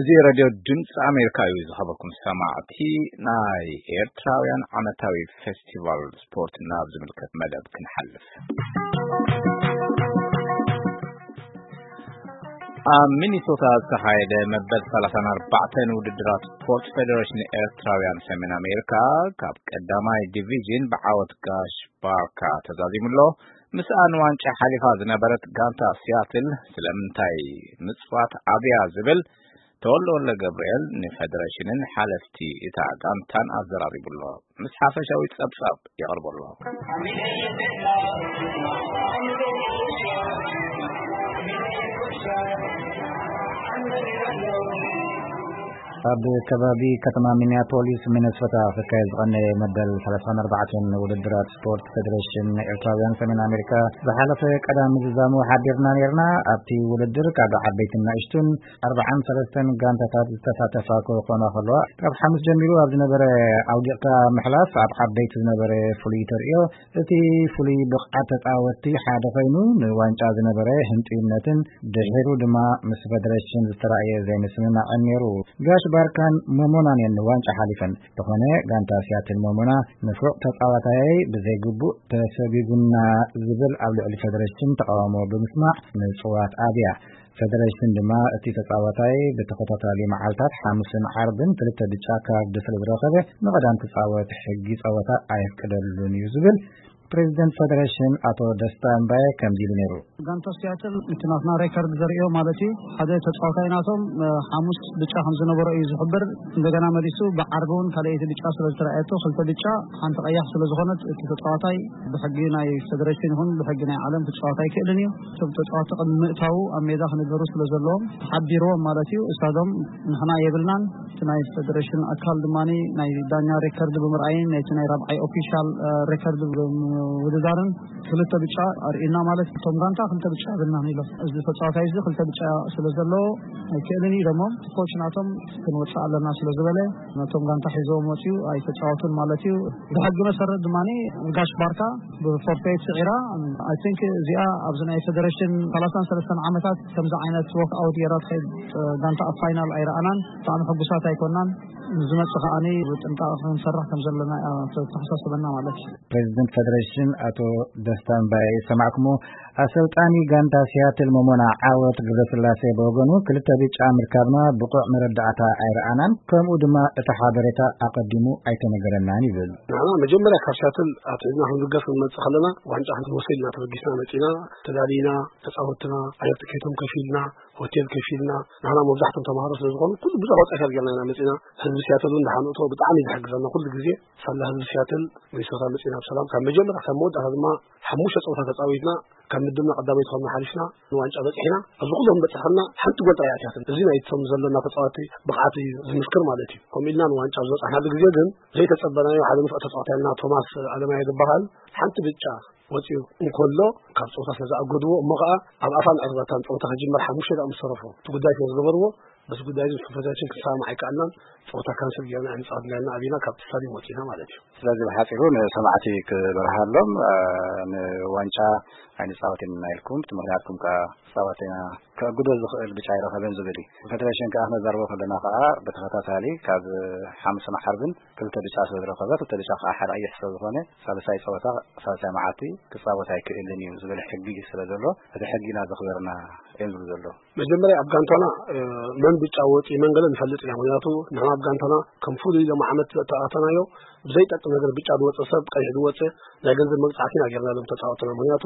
እዚ ሬድዮ ድምፂ ኣሜሪካ እዩ። ዝኸበርኩም ሰማዕቲ፣ ናይ ኤርትራውያን ዓመታዊ ፌስቲቫል ስፖርት ናብ ዝምልከት መደብ ክንሓልፍ። ኣብ ሚኒሶታ ዝተኻየደ መበል ሰላሳን ኣርባዕተን ውድድራት ስፖርት ፌደሬሽን ኤርትራውያን ሰሜን ኣሜሪካ ካብ ቀዳማይ ዲቪዥን ብዓወት ጋሽ ባርካ ተዛዚሙ ኣሎ። ምስኣ ንዋንጫ ሓሊፋ ዝነበረት ጋንታ ሲያትል ስለምንታይ ምጽዋት ኣብያ ዝብል ተወልደ ወልደ ገብርኤል ንፌደሬሽንን ሓለፍቲ እታ ጋንታን ኣዘራሪቡ ኣሎ። ምስ ሓፈሻዊ ጸብጻብ የቕርቦ ኣሎ። ኣብ ከባቢ ከተማ ሚኒያፖሊስ ሚነሶታ ክካየድ ዝቐነየ መበል ሰላሳን ኣርባዕተን ውድድራት ስፖርት ፌደሬሽን ኤርትራውያን ሰሜን ኣሜሪካ ዝሓለፈ ቀዳም ምዝዛሙ ሓቢርና ነርና። ኣብቲ ውድድር ካብ ዓበይትን ንእሽቱን ኣርባዓን ሰለስተን ጋንታታት ዝተሳተፋ ክኾና ከለዋ፣ ካብ ሓሙስ ጀሚሩ ኣብ ዝነበረ ኣውዲቕካ ምሕላፍ ኣብ ዓበይቲ ዝነበረ ፍሉይ ተርእዮ እቲ ፍሉይ ብቕዓት ተጻወትቲ ሓደ ኮይኑ፣ ንዋንጫ ዝነበረ ህንጥዩነትን ድሒሩ ድማ ምስ ፌደሬሽን ዝተራእየ ዘይምስምማዕን ነይሩ። ጋሽ ባርካን ሞሞናን እየን ንዋንጫ ሓሊፈን። ዝኾነ፣ ጋንታ ሲያትል ሞሞና ንፉዕ ተጻዋታያይ ብዘይግቡእ ተሰጒጉና ዝብል ኣብ ልዕሊ ፌደሬሽን ተቃውሞ ብምስማዕ ምጽዋት ኣብያ። ፌደሬሽን ድማ እቲ ተጻዋታይ ብተኸታታሊ መዓልታት ሓሙስን ዓርብን ክልተ ብጫ ካርድ ስለ ዝረኸበ ንቐዳም ክጻወት ሕጊ ጸወታ ኣየፍቅደሉን እዩ ዝብል ፕሬዚደንት ፌደሬሽን ኣቶ ደስታ እምባየ ከምዚ ኢሉ ነይሩ። ጋንታ ሲያትል እቲ ናትና ሬከርድ ዘርእዮ ማለት እዩ። ሓደ ተጻዋታይ ናቶም፣ እ፣ ሓሙስ ብጫ ከም ዝነበሮ እዩ ዝሕብር። እንደገና መሊሱ ብዓርቢ እውን ካልኣይቲ ብጫ ስለ ዝተረኣየቶ ክልተ ብጫ ሓንቲ ቀያሕ ስለ ዝኾነት እቲ ተጻዋታይ ብሕጊ ናይ ፌደሬሽን ይኹን ብሕጊ ናይ ዓለም ክጻወት ኣይክእልን እዩ። እቶም ተጻወቲ ቅድሚ ምእታዉ ኣብ ሜዳ ክነበሩ ስለ ዘለዎም ተሓቢርዎም ማለት እዩ። እሳዶም ንሕና የብልናን። እቲ ናይ ፌደሬሽን ኣካል ድማ ናይ ዳኛ ሬከርድ ብምርኣይን ናይቲ ናይ ራብዓይ ኦፊሻል፣ እ፣ ሬከርድ ብምውድዳርን ክልተ ብጫ ኣርእዩና ማለት እቶም ጋንታ ክልተ ብጫ የብልናን ኢሎም። እዚ ተጻዋታይ እዚ ክልተ ብጫ ስለ ዘለዎ ኣይክእልን እዩ ኢሎሞም። ኮች ናቶም ክንወጽእ ኣለና ስለ ዝበለ ነቶም ጋንታ ሒዞም ወጺኡ ኣይተጻወቱን ማለት እዩ። ብሕጊ መሰረት ድማ ጋሽ ባርካ ብፎርፌት ስዒራ። I think እዚኣ ኣብዚ ናይ ፌደሬሽን ሰላሳን ሰለስተን ዓመታት ከምዚ ዓይነት ዎክ ኣውት ጌራ ትኸይድ፣ እ፣ ጋንታ ኣብ ፋይናል ኣይረኣናን። ብጣዕሚ ሕጉሳት ኣይኮናን። ንዝመጽእ ከኣኒ ብጥንቃቐ ክንሰርሕ ከም ዘለና እያ ተተሓሳስበና ማለት እዩ። ፕሬዚደንት ፌደሬሽን ኣቶ ደስታ እምባየ ሰማዕኩሞ። ኣሰልጣኒ ጋንታ ሲያትል ሞሞና ዓወት ገብረስላሴ ብወገኑ፣ ክልተ ብጫ ምርካብና ብቑዕ መረዳእታ ኣይረኣናን፣ ከምኡ ድማ እቲ ሓበሬታ ኣቐዲሙ ኣይተነገረናን ይብል። ንሕና መጀመርያ ካብ ሲያትል ኣትሒዝና ክንብገስ ክንመጽእ ከለና ዋንጫ ክንወስድ ኢና ተበጊስና መጺና። ተዳሊና፣ ተጻወትና፣ ኣየር ትኬቶም ከፊልና፣ ሆቴል ከፊልና። ንሕና መብዛሕቶም ተምሃሮ ስለ ዝኾኑ ኩሉ ብዙሕ ወጻኢ ጌርና ኢና መጺና። ህዝቢ ሲያትል እውን ደሓን እቶ ብጣዕሚ እዩ ዝሕግዘና ኩሉ ግዜ። ሳላ ህዝቢ ሲያትል ሚኒሶታ መጺና ብሰላም ካብ መጀመርያ ካብ መወዳእታ ድማ ሓሙሽተ ጸወታ ተጻዊትና ካብ ምድብና ቀዳመይቲ ኮይና ሓሊፍና ንዋንጫ በጺሕና። ኣብዚ ኩሎም በጺሕና ሓንቲ ጎል ጥራይ ኣትያትን። እዚ ናይቶም ዘለና ተጻወቲ ብቕዓት እዩ ዝምስክር ማለት እዩ። ከምኡ ኢልና ንዋንጫ ዝበጻሕናሉ ግዜ ግን ዘይተጸበናዮ ሓደ ንፉዕ ተጻዋታይ ኣለና፣ ቶማስ ኣለማየ ዝበሃል። ሓንቲ ብጫ ወጺኡ እንከሎ ካብ ጸወታ ስለ ዝኣገድዎ፣ እሞ ኸኣ ኣብ ኣፋን ዕርባታን ጸወታ ክጅመር ሓሙሽተ ደቂቕ ምስ ተረፎ እቲ ጉዳይ ስለ ዝገበርዎ፣ በዚ ጉዳይ እዚ ምስ ፕሬዚዳንት ክንሰማማዕ ኣይከኣልናን። ጸወታ ካንስል ጌርና ኣይንጻወትን ኢልና ኣቢና ካብቲ ስታድዮም ወጺና ማለት እዩ። ስለዚ ብሓጺሩ ንሰማዕቲ ክበርሃሎም፣ እ፣ ንዋንጫ ኣይንጻወትን ኢና ኢልኩም፣ እቲ ምኽንያትኩም ከኣ ክጻወት ኢና፣ ከእግዶ ዝኽእል ብጫ ኣይረኸበን ዝብል እዩ። ፌደሬሽን ከኣ ክነዛርቦ ከለና ከኣ ብተኸታታሊ ካብ ሓሙስን ዓርብን ክልተ ብጫ ስለ ዝረኸበ፣ ክልተ ብጫ ከኣ ሓደ ቀይሕ ስለ ዝኾነ፣ ሳልሳይ ጸወታ፣ ሳልሳይ መዓልቲ ክጻወት ኣይክእልን እዩ ዝብል ሕጊ ስለ ዘሎ፣ እቲ ሕጊ ኢና ዘኽበርና እዮም ዝብሉ ዘለዉ። መጀመርያ ኣብ ጋንታና፣ እ፣ መን ብጫ ወጺኡ መን ገለ ንፈልጥ ኢና። ምኽንያቱ ንሕና ኣብ ጋንታና ከም ፍሉይ ሎም ዓመት ዘተኣታናዮ ብዘይጠቅም ነገር ብጫ ዝወጸ ሰብ፣ ቀይሕ ዝወጸ ናይ ገንዘብ መቅጻዕቲ ኢና ጌርናሎም ተጻወትና። ምኽንያቱ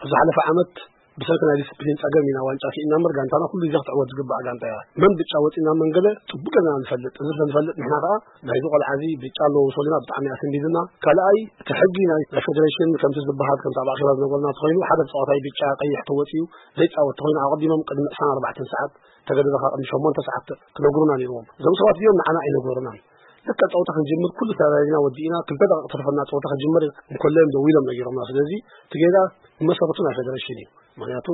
ኣብ ዝሓለፈ ዓመት ብሰንኪ ናይ ዲስፕሊን ጸገም ኢና ዋንጫ ስኢና እምበር ጋንታና ኩሉ ግዜ ክትዕወት ዝግባእ ጋንታ እያ። መን ብጫ ወጺና መን ገለ ጽቡቅ ጌርና ንፈልጥ። እዚ ስለ ንፈልጥ ንሕና ከኣ ናይዚ ቆልዓ እዚ ብጫ ኣለዎ ምስ በሉና ብጣዕሚ ኣስንቢዱና። ካልኣይ እቲ ሕጊ ናይ፣ ናይ ፌደሬሽን ከምቲ ዝበሃል ከምቲ ኣብ ኣኼባ ዝነበርና ተኾይኑ ሓደ ተጻዋታይ ብጫ ቀይሕ ተወጺኡ ዘይጻወት ተኾይኑ ኣቐዲሞም ቅድሚ ዕስራን ኣርባዕተን ሰዓት ተገደደ ካብ ቅድሚ ሸሞንተ ሰዓት ክነግሩና ነይርዎም። እዞም ሰባት እዚኦም ንዓና ኣይነገሩናን። ልክዕ ጸወታ ክንጅምር ኩሉ ተዛሪብና ወዲእና ክልተ ደቂቕ ተርፈና ጸወታ ክጅምር እንከሎ እዮም ደዊሎም ነጊሮምና። ስለዚ እቲ ጌጋ ብመሰረቱ ናይ ፌደሬሽን እዩ። ምኽንያቱ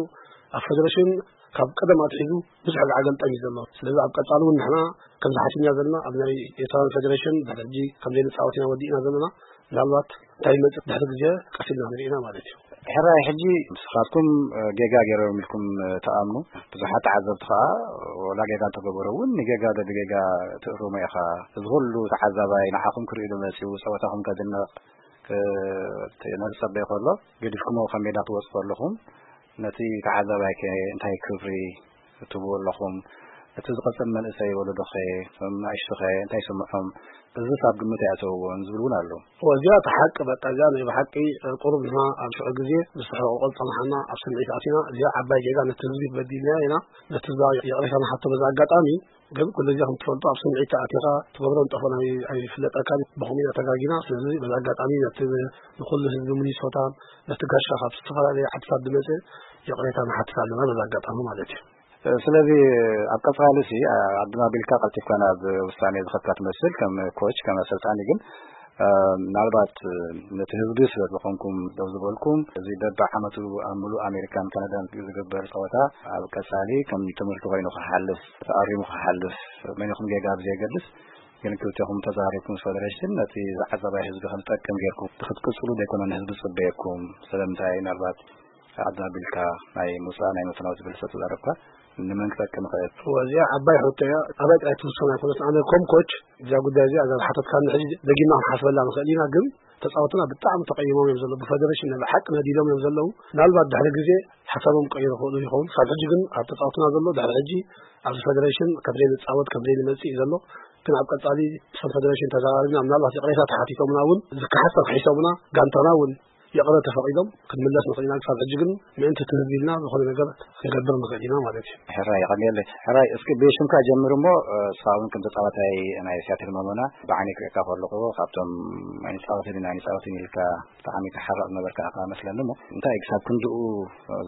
ኣብ ፌደሬሽን ካብ ቀደም ኣትሒዙ ብዙሕ ጋዕገልጠም እዩ ዘሎ። ስለዚ ኣብ ቀጻሊ እውን ንሕና ከም ዝሓስብና ዘለና ኣብ ናይ ኤርትራውያን ፌደሬሽን ድሕሪ ሕጂ ከም ዘይንጻወት ኢና ወዲእና ዘለና። ምናልባት እንታይ ይመጽእ ድሕሪ ግዜ ቀስ ኢልና ንርኢ ኢና ማለት እዩ። ሕራይ ሕጂ ንስኻትኩም ጌጋ ገይሮም ኢልኩም ትኣምኑ፣ ብዙሓት ተዓዘብቲ ኸኣ ወላ ጌጋ እንተገበሩ እውን ንጌጋ ዶ ብጌጋ ትእርሞ ኢኻ። እዚ ኩሉ ተዓዛባይ ንዓኹም ክርኢ ዶ መጺኡ፣ ጸወታኹም ከድንቕ ነቲ ነቲ ጸበይ ከሎ ገዲፍኩሞ ካብ ሜዳ ትወጽኡ ኣለኹም። ነቲ ተዓዛባይ ከ እንታይ ክብሪ ትብዎ ኣለኹም? እቲ ዝቐጽል መንእሰይ ወለዶኸ፣ እቶም ንኣሽቱኸ እንታይ ይስምዖም? እዝስ ኣብ ግምት ኣይኣተውዎን ዝብል እውን ኣሎ። እዚኣ እቲ ሓቂ በቃ እዚኣ ናይ ብሓቂ ቁሩብ ንሕና ኣብ ሽዑ ግዜ ምስ ተሕቆቆ ዝጸናሓና ኣብ ስምዒት ኣቲና እዚኣ ዓባይ ጌጋ ነቲ ህዝቢ በዲልና ኢና። ነቲ ህዝቢ ይቕሬታ ንሓቶ በዚ ኣጋጣሚ ግን ኩሉ ግዜ ከም ትፈልጡ ኣብ ስምዒት ኣቲኻ ትገብሮ ንጠፎ ናይ ኣይፍለጠካን ብኸምኡ ኢና ተጋጊና። ስለዚ በዚ ኣጋጣሚ ነቲ ንኹሉ ህዝቢ ሚኒሶታ ነቲ ጋሻ ካብ ዝተፈላለዩ ሓድሳት ዝመፀ ይቕሬታ ንሓትት ኣለና በዚ ኣጋጣሚ ማለት እዩ። ስለዚ ኣብ ቀጻሊ ሲ ዓድና ቢልካ ቀልጢፍካ ናብ ውሳኔ ዝኸድካ ትመስል ከም ኮች ከም ኣሰልጣኒ ግን ምናልባት ነቲ ህዝቢ ስለ ዝኾንኩም ደው ዝበልኩም እዚ በብዓመቱ ኣብ ሙሉእ ኣሜሪካን ካናዳን ዝግበር ጸወታ ኣብ ቀጻሊ ከም ትምህርቲ ኮይኑ ክሓልፍ ተኣሪሙ ክሓልፍ መን ይኹን ጌጋ ብዘየገድስ ግን ክልቴኹም ተዛሪብኩም ምስ ፈደረሽን ነቲ ዝዓዘባይ ህዝቢ ከም ዝጠቅም ጌርኩም ክትቅጽሉ ዘይኮነ ንህዝቢ ዝጽበየኩም ስለምንታይ ምናልባት ዓድና ቢልካ ናይ ምውጻእ ናይ ምፍናው ዝብል ሰብ ተዛረብካ ንመን ክጠቅም ይኽእል? እወ፣ እዚኣ ዓባይ ሕቶ እያ። ኣባይ ጥራይ ትውሰን ኣይኮነትን። ኣነ ኮም ኮች እዚኣ ጉዳይ እዚኣ እዛ ዝሓተትካኒ ሕጂ ደጊምና ክንሓስበላ ንኽእል ኢና፣ ግን ተጻወትና ብጣዕሚ ተቐይሞም እዮም ዘለዉ። ብፈደረሽን ናይ ብሓቂ ነዲሎም እዮም ዘለዉ። ምናልባት ድሕሪ ግዜ ሓሳቦም ክቀይሩ ይኽእሉ ይኸውን። ክሳብ ሕጂ ግን ኣብ ተጻወትና ዘሎ ድሕሪ ሕጂ ኣብዚ ፈደረሽን ከም ዘይንጻወት ከም ዘይንመጽእ እዩ ዘሎ። ግን ኣብ ቀጻሊ ምስቶም ፈደረሽን ተዘራሪብና ምናልባት ይቕሬታ ተሓቲቶምና እውን ዝከሓስ ተኽሒሶምና ጋንታና እውን ይቕረ ተፈቒዶም ክንምለስ ንኽእል ኢና። ክሳብ ሕጂ ግን ምእንቲ እቲ ህዝቢ ኢልና ዝኾነ ነገር ክንገብር ንኽእል ኢና ማለት እዩ። ሕራይ የቐንየለይ። ሕራይ እስኪ ብሽምካ ጀምር እሞ ንስኻ እውን ከም ተጻዋታይ ናይ ሲያትል መሞና ብዓይኒ ክርእየካ ከለኹ ካብቶም ኣይንጻወትን ኢና ኣይንጻወትን ኢልካ ብጣዕሚ ትሓርቕ ዝነበርካ ኢኻ መስለኒ እሞ እንታይ ክሳብ ክንድኡ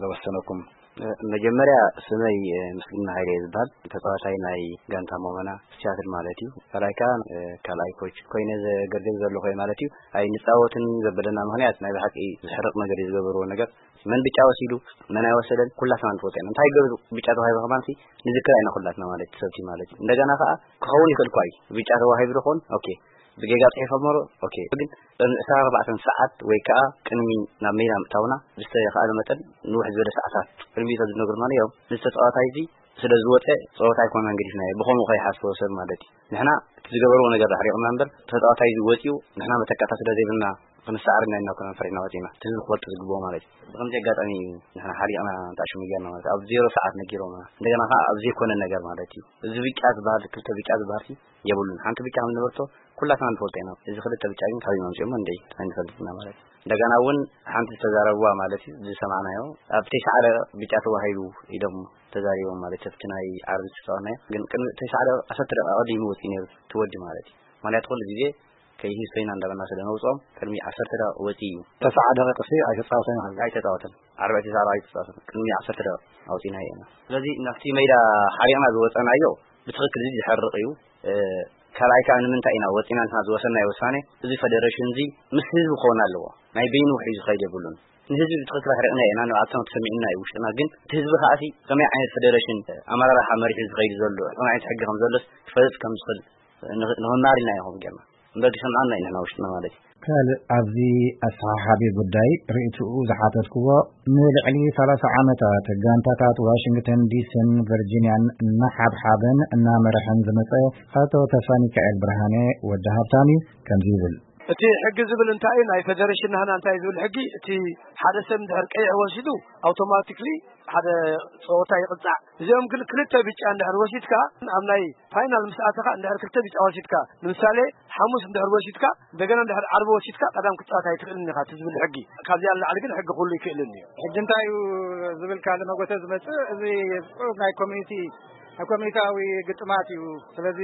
ዘወሰነኩም? መጀመርያ ስመይ ምስግና ሃይለ እየ ዝበሃል። ተጻዋታይ ናይ ጋንታ ሞመና ሲያትል ማለት እዩ። ካልኣይ ከኣ ካልኣይ ኮች ኮይነ ዘገልግል ዘለኹ እየ ማለት እዩ። ኣይንጻወትን ዘበለና ምኽንያት ናይ ብሓቂ ዘሕርቕ ነገር እዩ ዝገበርዎ ነገር። መን ብጫ ወሲዱ መን ኣይወሰደን ኩላትና ንፈልጦ ኢና። እንታይ ገይሩ ብጫ ተዋሂቡ ከማን ንዝክር ኣይና ኩላትና ማለት ሰብቲ ማለት እዩ። እንደገና ከኣ ክኸውን ይኽእል እኳ እዩ ብጫ ተዋሂቡ ዝኸውን ኦኬ ብጌጋ ጽሒፎሞ ኦኬ ግን ቅድሚ ዕስራን ኣርባዕተን ሰዓት ወይ ከኣ ቅድሚ ናብ ሜዳ ምእታውና ብዝተኻእለ መጠን ንውሕ ዝበለ ሰዓታት ቅድሚኡ ተዝነግሩና ነይሮም። እዚ ተጻዋታይ እዚ ስለ ዝወጸ ጸወታ ኣይኮነን ገዲፍናዮ። ብኸምኡ ከይሓስቦ ሰብ ማለት እዩ። ንሕና እቲ ዝገበርዎ ነገር ኣሕሪቕና እምበር ተጻዋታይ እዚ ወጺኡ ንሕና መተካእታ ስለ ዘይብልና ክንሰዓር ኢና ኢልና ኣይኮነን ፈሪሕና ወጺና። እቲ ህዝቢ ክፈልጦ ዝግብኦ ማለት እዩ። ብኸምዚ ኣጋጣሚ እዩ ንሕና ሓሪቕና ንጣሽሙ ጌርና ማለት ኣብ ዜሮ ሰዓት ነጊሮምና። እንደገና ከኣ ኣብ ዘይኮነ ነገር ማለት እዩ። እዚ ብጫ ዝበሃል ክልተ ብጫ ዝበሃል የብሉን። ሓንቲ ብጫ ከም ዝነበርቶ ኩላትና ንፈልጦ ኢና። እዚ ክልተ ብጫ ግን ካበይ መምጺኦሞ እንድዒ ኣይንፈልጥና ማለት እዩ። እንደገና እውን ሓንቲ ዝተዛረብዋ ማለት እዩ ዝሰማዕናዮ ኣብ ተስዓ ደቂቕ ብጫ ተዋሂቡ ኢሎም ተዛሪቦም ማለት ኣብቲ ናይ ዓርቢ ዝተጻወትናዮ ግን ቅድሚ ተስዓ ደቂቕ ዓሰርተ ደቂቕ ኣቐዲሙ ወጺኡ ነይሩ እቲ ወዲ ማለት እዩ። ምኽንያቱ ኩሉ ግዜ ከይህዝ ኮይና እንዳበልና ስለ ነውጽኦም ቅድሚ ዓሰርተ ደቂቕ ወጺኡ እዩ። ተስዓ ደቂቕ ሲ ኣይተጻወተን ማለት እዩ። ኣይተጻወተን። ዓርቢ ኣይተጻወተን ኣይተጻወተን። ቅድሚ ዓሰርተ ደቂቕ ኣውጺእናዮ ኢና። ስለዚ ናብቲ ሜዳ ሓሪቕና ዝወጸናዮ ብትኽክል እዚ ዝሕርቕ እዩ። ካልኣይ ከኣ ንምንታይ ኢና ወጺና ንሕና ዝወሰናዮ ውሳኔ እዚ ፈደረሽን እዚ ምስ ህዝቢ ክኸውን ኣለዎ። ናይ በይኑ ውሒዱ ዝኸይድ የብሉን። ንህዝቢ ብትኽክል ኣሕሪቕና ኢና ንባዕልትና ተሰሚዑና እዩ ውሽጥና ግን እቲ ህዝቢ ከኣ ሲ ከመይ ዓይነት ፈደረሽን ኣመራርሓ መሪሑ ዝኸይድ ዘሎ ከመይ ዓይነት ሕጊ ከም ዘሎስ ክፈልጥ ከም ዝኽእል ንኽማር ኢልና ኢና ከምኡ ጌርና። እምበር ክሰምዓና እዩ ንሕና ውሽጥና ማለት እዩ። ካልእ ኣብዚ ኣሰሓሓቢ ጉዳይ ርእይትኡ ዝሓተትክዎ ንልዕሊ ሰላሳ ዓመታት ጋንታታት ዋሽንግተን ዲስን ቨርጂንያን እናሓብሓበን እናመርሐን ዝመጸ ኣቶ ተስፋሚካኤል ብርሃነ ወዲ ሃብታም እዩ ከምዚ ይብል። እቲ ሕጊ ዝብል እንታይ እዩ ናይ ፈደረሽን ናህና እንታይ ዝብል ሕጊ እቲ ሓደ ሰብ እንድሕር ቀይሕ ወሲዱ ኣውቶማቲክሊ ሓደ ጸወታ ይቕጻዕ። እዚኦም ግን ክልተ ብጫ እንድሕር ወሲድካ ኣብ ናይ ፋይናል ምስ ኣተኻ እንድሕር ክልተ ብጫ ወሲድካ ንምሳሌ ሓሙስ እንድሕር ወሲድካ እንደገና እንድሕር ዓርቢ ወሲድካ ቀዳም ክትጻወት ኣይትኽእልን ኢኻ እቲ ዝብል ሕጊ። ካብዚኣ ንላዕሊ ግን ሕጊ ኩሉ ይክእልን እዩ። ሕጂ እንታይ እዩ ዝብል ካልእ መጎተ ዝመጽእ እዚ ጽሑፍ ናይ ኮሚኒቲ ናይ ኮሚኒታዊ ግጥማት እዩ። ስለዚ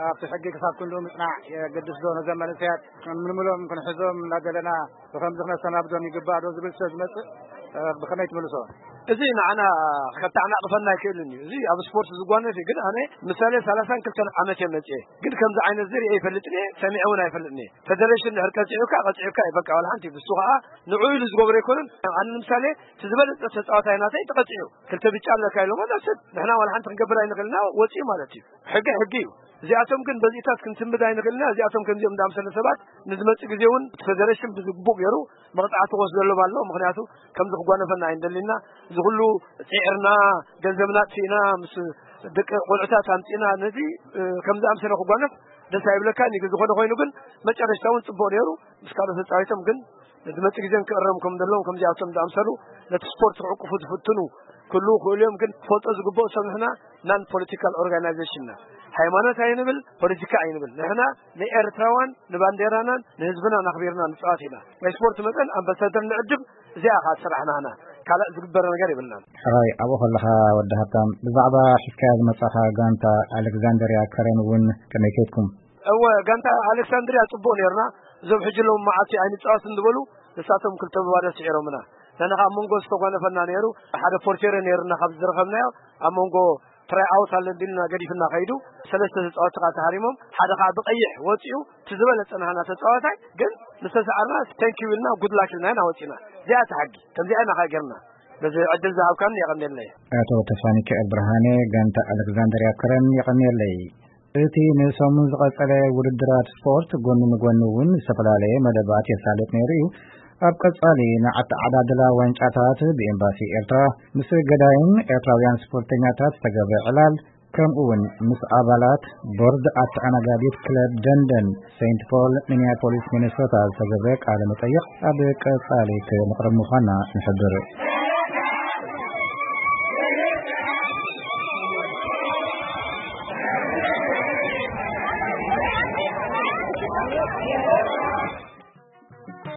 ኣብቲ ሕጊ ክሳብ ክንድኡ ምጽናዕ የገድስ ዶ ነዘም መንእሰያት ምልምሎም ክንሕዞም እናደለና ብኸምዚ ክነሰናብዶም ይግባእ ዶ ዝብል ስለ ዝመጽእ ብኸመይ ትምልሶ? እዚ ንዓና ከታዕናቕፈና ኣይክእልን እዩ። እዚ ኣብ ስፖርት ዝጓነፍ እዩ። ግን ኣነ ምሳሌ ሰላሳን ክልተን ዓመት እየ መጽኤ። ግን ከምዚ ዓይነት እዚ ርእየ ይፈልጥን እየ፣ ሰሚዐ እውን ኣይፈልጥን እየ። ፈደረሽን ድሕር ቀጺዑካ ቀጺዑካ እዩ በቃ ዋላ ሓንቲ ብሱ ከዓ ንዑ ኢሉ ዝገብሮ ኣይኮነን። ኣነ ንምሳሌ እቲ ዝበለጸ ተጻዋታይ ናተይ ተቐጺዑ ክልተ ብጫ ኣለካ ኢሎሞ ዳስት ንሕና ዋላ ሓንቲ ክንገብር ኣይንኽእልና ወጺኡ ማለት እዩ። ሕጊ ሕጊ እዩ። እዚኣቶም ግን በዚታት ክንስምድ ኣይንኽእልና። እዚኣቶም ከምዚኦም እንዳምሰለ ሰባት ንዝመጽእ ግዜ እውን እቲ ፌደሬሽን ብዝግቡእ ገይሩ መቕጻዕቲ ክወስደሎም ኣሎ። ምኽንያቱ ከምዚ ክጓነፈና ኣይንደሊና። እዚ ኩሉ ጽዒርና፣ ገንዘብና ኣጥፊእና፣ ምስ ደቂ ቆልዑታት ኣምጺእና፣ ነዚ ከምዚ ኣምሰለ ክጓነፍ ደስ ኣይብለካ። ንግ ዝኾነ ኮይኑ ግን መጨረሽታ እውን ጽቡቕ ነይሩ። ምስ ካልኦት ተጻዊቶም ግን ንዝመጽእ ግዜ ክእረም ከም ዘለዎም፣ ከምዚኣቶም ዝኣምሰሉ ነቲ ስፖርት ክዕቅፉ ዝፍትኑ ክህልዉ ክእሉ እዮም። ግን ክፈልጦ ዝግብኦ ሰብ ንሕና ናን ፖለቲካል ኦርጋናይዜሽን ኢና። ሃይማኖት ኣይንብል፣ ፖለቲካ ኣይንብል። ንሕና ንኤርትራዋን ንባንዴራናን ንህዝብናን ኣኽቢርና ንጻወት ኢና። ናይ ስፖርት መጠን ኣምባሳደር ንዕድም፣ እዚኣ ኸኣ ስራሕና ኢና። ካልእ ዝግበር ነገር የብልናን። ሕራይ፣ ኣብኡ ከለኻ ወዲ ሃብታም፣ ብዛዕባ ሒዝካያ ዝመጻኻ ጋንታ ኣሌክዛንደርያ ከረን እውን ከመይ ከይድኩም? እወ፣ ጋንታ ኣሌክሳንድርያ ጽቡቕ ነይርና። እዞም ሕጂ ሎም መዓልቲ ኣይንጻወትን ዝበሉ፣ ንሳቶም ክልተ ብባዶ ስዒሮምና። ንሕና ኣብ መንጎ ዝተጓነፈና ነይሩ። ሓደ ፖርቴረ ነይርና ካብ ዝረኸብናዮ፣ ኣብ መንጎ ትራይ ኣውት ኣሎ እንዲልና ገዲፍና ከይዱ፣ ሰለስተ ተጻወትቲ ከዓ ተሃሪሞም፣ ሓደ ከዓ ብቐይሕ ወጺኡ፣ እቲ ዝበለጸ ናህና ተጻዋታይ ግን ምስ ተሰዓርና፣ ቴንክ ዩ ኢልና፣ ጉድ ላክ ኢልና ኢና ወጺና። እዚኣ እቲ ሓቂ። ከምዚኣ ኢና ከዓ ጌርና። በዚ ዕድል ዝሃብካኒ የቐንየለይ። ኣቶ ተስፋሚካኤል ብርሃነ፣ ጋንታ ኣሌክዛንደርያ ከረን፣ የቐንየለይ። እቲ ንሰሙን ዝቐጸለ ውድድራት ስፖርት ጎኒ ንጎኒ እውን ዝተፈላለየ መደባት የሳልጥ ነይሩ እዩ። ኣብ ቀጻሊ ንኣተዓዳድላ ዋንጫታት ብኤምባሲ ኤርትራ ምስ ገዳይም ኤርትራውያን ስፖርተኛታት ዝተገብረ ዕላል፣ ከምኡ እውን ምስ ኣባላት ቦርድ ኣተኣናጋዲት ክለብ ደንደን ሴንት ፖል ሚኒያፖሊስ ሚኒሶታ ዝተገብረ ቃለ መጠይቕ ኣብ ቀጻሊ ክነቕርብ ምዃንና ንሕብር።